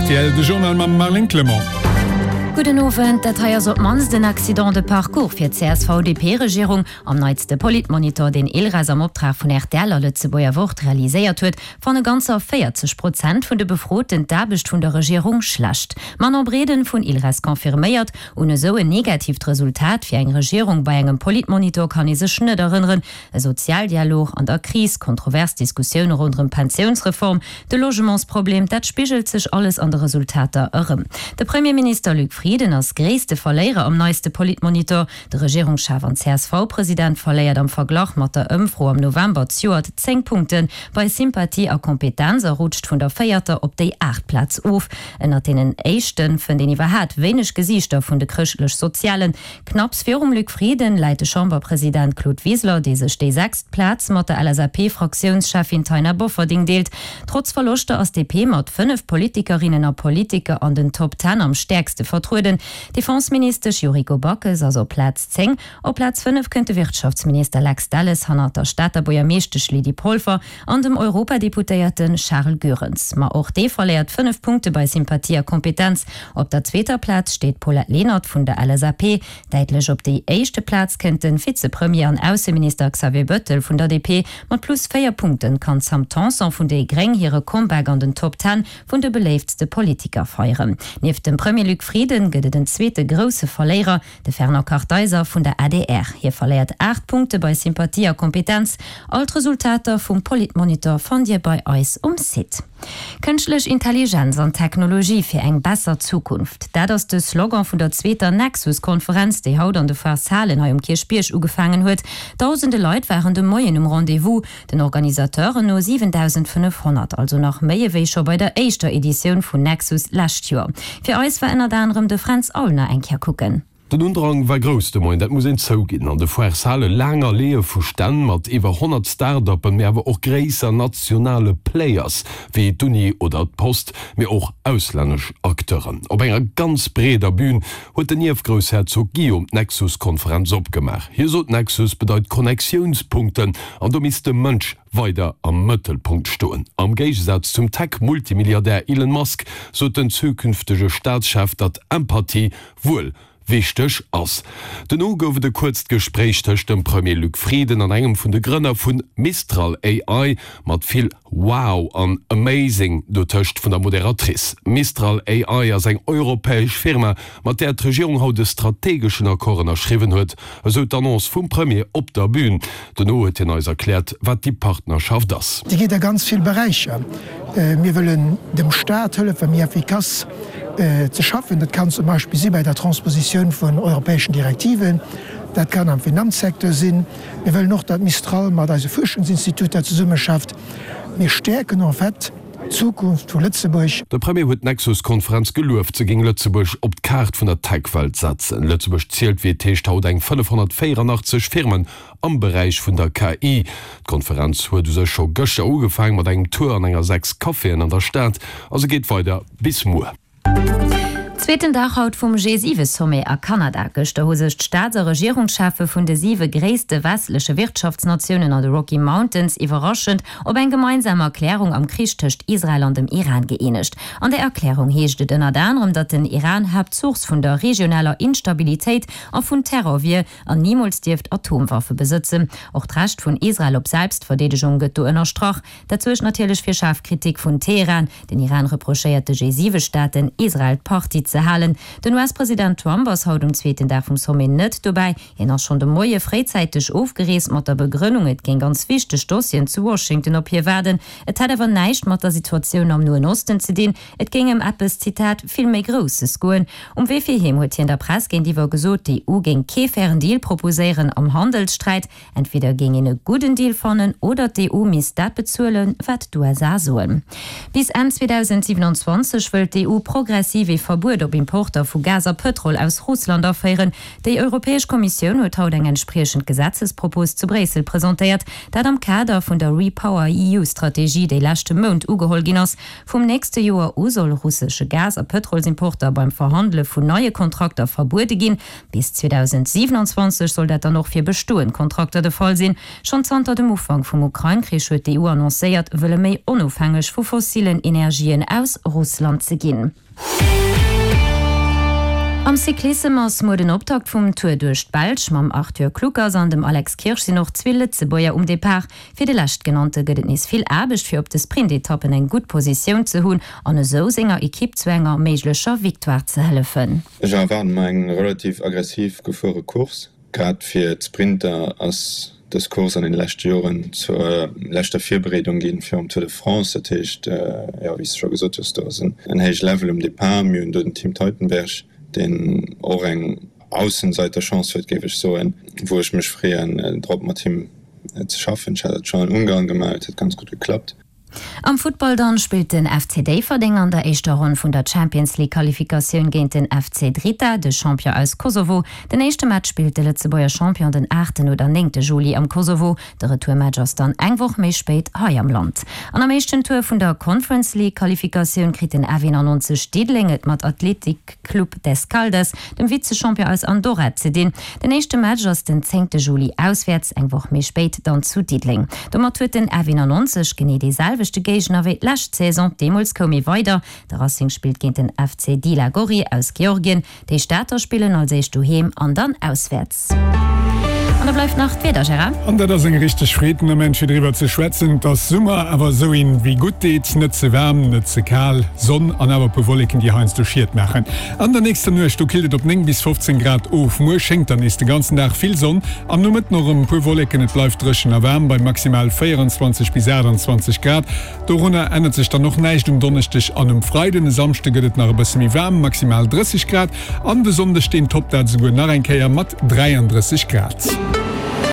rtl, de Journal mam Marlène Clement. Gudden Owend, dat hei ass op d'mannst en Accident de parcours fir d'CSV-DP-Regierung. Am neitste Politmonitor, deen ILRAS am Optrag vun rtl a Lëtzebuerger Wort realiséiert huet, fanne ganzer 40 Prozent vun de Befroten d'Aarbecht vun der Regierung schlecht. D'Manon Breden vun ILRAS confirméiert, Un esou en negatiivt Resultat fir eng Regierung bei engem Politmonitor kann ee sech net erënneren. E Sozialdialog an der Kris, kontrovers Diskussioune ronderëm d'Pensiounsreform, de Logementsproblem, dat spigelt sech alles an de Resultater erëm. De Premierminister Luc Frieden ass gréisste Verléierer am neiste Politmonitor. De Regierungschef an CSV-President verléiert am Verglach mat der Ëmfro am November zejoert 10 Punkte bei Sympathie a Kompetenz a rutscht vun der véierter op déi aacht Plaz of. Ënnert deenen éischte fënnt een iwwerhaat wéineg Gesiichter vun de Chrëschtlech-Sozialen. Knapps virum Luc Frieden läit de Chamberpresident Claude Wiseler, dee sech déi sechst Plaz mat der LSAP-Fraktiounscheffin Taina Bofferding deelt. Trotz Verloschter ass d'DP mat 5 Politikerinnen a Politiker an den Top Ten am stäerkste vertrueden. D'Defenseministesch Yuriko Backes ass op Plaz 10. Op Plaz 5 kënnt de Wirtschaftsminister Lex Delles hannert der Stater Buergermeeschtesch Lydie Polfer an dem Europadeputéierte Charles Goerens. Ma och dee verléiert 5 Punkte bei Sympathie a Kompetenz. Op der zweeter Plaz steet d'Paulette Lenert vun der LSAP. Däitlech op déi éischte Plaz kënnt de Vizepremier an Ausseminister Xavier Bettel vun der DP. Mat plus 4 Punkte kann d'Sam Tanson vun déi Gréng hire Comeback an den Top Ten vun de beléiftste Politiker feieren. Nieft dem Premier Luc Frieden gëtt et en zweete grousse Verléierer, De Fernand Kartheiser vun der adr. Hie verléiert 8 Punkte bei Sympathie a Kompetenz. All d'Resultater vum Politmonitor fannt Dir bei eis um Site. Kënschtlech Intelligenz an Technologie fir eng besser Zukunft, dat ass de Slogan vun der zweeter Nexus-Konferenz, déi haut an de Foires Halen hei um Kierchbierg ugefaangen huet. Dausende Leit waren de Moien um Rendez-vous. Den Organisateuren no 7.500, also nach méi ewéi scho bei der éischter Editioun vun Nexus lescht Joer. Fir eis war ënnert anerem de Fränz Aulner eng Kéier kucken. Den Undrang war grouss de Moien, dat muss een zouginn. An de Foires-Hale laang Alleeë vu Stänn mat iwwer 100 Start-uppen, mee awer och gréisser nationale Players wéi d'Uni oder d'Post, mee och auslännesch Acteuren. Op enger ganz breeder Bün huet den Ierfgroussherzog Guillaume d'Nexus-Konferenz opgemaach. Hie sot, Nexus bedeit Connectiounspunkten an do misst de Mënsch weider am Mëttelpunkt stoen. Am Géigesaz zum Tech-Multimilliardär Elon Musk sot den zukünftege Staatschef, datt Empathie wuel wichteg ass. Dono gouf et e kuerzt Gespréich tëscht dem Premier Luc Frieden an engem vun de Grënner vu Mistral AI, mat vill Wow an Amazing dotëscht vun der Moderatrice. Mistral AI ass eng europäesch Firma, mat där d'Regierung haut e strategeschen Accord ënnerschriwwen huet, esou d'Annonce vum Premier op der Bün. Dono huet hien eis erkläert, wat déi Partnerschaft ass. Déi geet a ganz vill Beräicher. Mir wëllen dem Staat hëllefen, méi effikass ze schaffen. Dat kann zum Beispill si bei der Transpositioun vun europäeschen Direktiven. Dat kann am Finanzsecteur sinn. Mir wëllen och, datt Mistral mat eise Fuerschungsinstituter zesummeschafft. Mir stäerken en fait d'Zukunft vu Lëtzebuerg. De Premier huet d'Nexus-Konferenz gelueft, se géing Lëtzebuerg op d'Kaart vun der Tech-Welt setzen. Lëtzebuerg zielt, wéi et heescht, haut eng 584 Firmen am Beräich vun der KI. D'Konferenz huet u sech scho gëschter ugefaang mat engem Tour an enger 6 Caféen an der Stad a se geet weider bis muer. Zweeten Dag haut vum G7-Sommet a Kanada. Gëschter hu sech d'Staats a Regierungscheffe vun de siwe gréisste westleche Wirtschaftsnatiounen an de Rocky Mountains iwwerraschend op eng gemeinsam Erklärung am Krich tëscht Israel an dem Iran gëeenegt. An där Erklärung heescht et ënnert anerem, datt den Iran Haaptsource vun der regionaler Instabilitéit a vun Terror wier an nimools dierft Atomwaffe besëtzen. Och d'Recht vun Israel op Selbstverdeedegung gëtt do ënnerstrach. Dat suergt natierlech fir schaarf Kritik vun Teheran. Den Iran reprochéiert de G7-Staaten, Israel d'Partie ze halen. Den US-President Trump ass haut um zweeten Dag vum Sommet net dobäi. Hien ass schonn de Moie fréizäiteg ofgereest, mat der Begrënnung, et géing ganz wichteg Dossieren zu Washington op hie waarden. Et hätt awer näischt mat der Situatioun am Noen Osten ze dinn. Et géing ëm eppes, Zitat, vill méi Grousses goen. Um Wee fir heem huet hien der Press géintiwwer gesot, d'EU géing kee fairen Deal proposéieren am Handelssträit. Entweder géing een e gudden Deal fannen oder d'EU misst dat bezuelen, wat d'USA soen. Bis Enn 2027 wëllt d'EU progressiv ee Verbuet op. op Importer vu Gas a Pëtrol aus Russland aféieren. Déi Europäesch Kommissioun huet haut eng entspriechend Gesetzespropos zu Bréissel presentéiert, dat am Kader vun der REPowerEU-Strategie, déi leschte Mount ugeholl ginn ass. Vum nächste Joer u soll russesche Gas a Pëtrolsimporter beim Verhandele vun neie Kontrakter verbuede ginn. Bis 2027 soll dat dann och fir bestoend Kontrakter de Fall sinn. Schonn zanter dem Ufank vum Ukrain-Krich huet d'EU annoncéiert, wëlle méi onofhängeg vu fossillen Energien aus Russland ze ginn. Am Cyclissem ass muer den Optakt vum Tour duerch d'Belsch. Mam Arthur Kluckers an dem Alex Kirsch sinn och zwee Lëtzebuerger um Depart. Fir de Leschtgenannte gëtt et nees vill Aarbecht, fir op de Sprintetappen eng gutt Positioun ze hunn an esou senger Ekipp zu enger méiglecher Victoire ze hëllefen. Ech erwaarde mer eng relativ aggressiv gefuere Course. Grad fir d'Sprinter ass dës Course an den leschte Joren zur leschter Virbereedung ginn virum Tour de France. Dat heescht, jo, wéi s de scho gesot hues, do ass en héije Level um Depart. Mir hunn do den Tim Teutenberg, deen och eng Aussenseiterchance huet, géif ech soen, wou ech mech freeën drop mat him ze schaffen. Ech hat dat schonn an Ungarn gemaach, et huet ganz gutt geklappt. Am Futtball dann spillt den FC Déifferdeng an der éischter Ronn vun der Champions League Qualifikatioun géint den FC Drita, de Champion aus Kosovo. Den éischte Match spillt de Lëtzebuerger Champion den aachten oder néngte Juli am Kosovo. De Retourmatch ass dann eng Woch méi spéit hei am Land. An am éischten Tour vun der Conference League Qualifikatioun kritt den F91 Diddeleng et mat Athletic Club d'Escaldes, dem Vize-Champion aus Andorra, ze dinn. Den éischte Match ass den zéngte Juli auswäerts, eng Woch méi spéit dann zu Diddeleng. Domat huet den F91 genee dee selwechte Géigner wéi d'lescht Saison. Deemools koum ee weider. De Racing spillt géint den FC Dila Gori aus Georgien. Déi Stater spillen als éischt doheem an dann auswäerts. An da bleift nach d'Wieder, Gérard. An dat ass eng richteg Freed den Ament fir driwwer ze schwätzen. Et ass Summer, awer esou een wéi gutt deet, net ze waarm, net ze kal. Sonn an awer e puer Wolleken, déi heiansdo Schiet maachen. An der nächster Nuecht, do killt et op 9 bis 15 Grad of. Muer schéngt dann nees de ganzen Dag vill Sonn, am Nomëtten och erëm e puer Wolleken. Et bleift dréchen a waarm bei maximal 24 bis 28 Grad. Dorunner ännert sech dann och näischt um Donneschdeg an um Freiden. E Samschde gëtt et nach e bësse méi waarm, maximal 30 Grad, an de Sonndeg, deen toppt dat esouguer nach eng Kéier mat 33 Grad.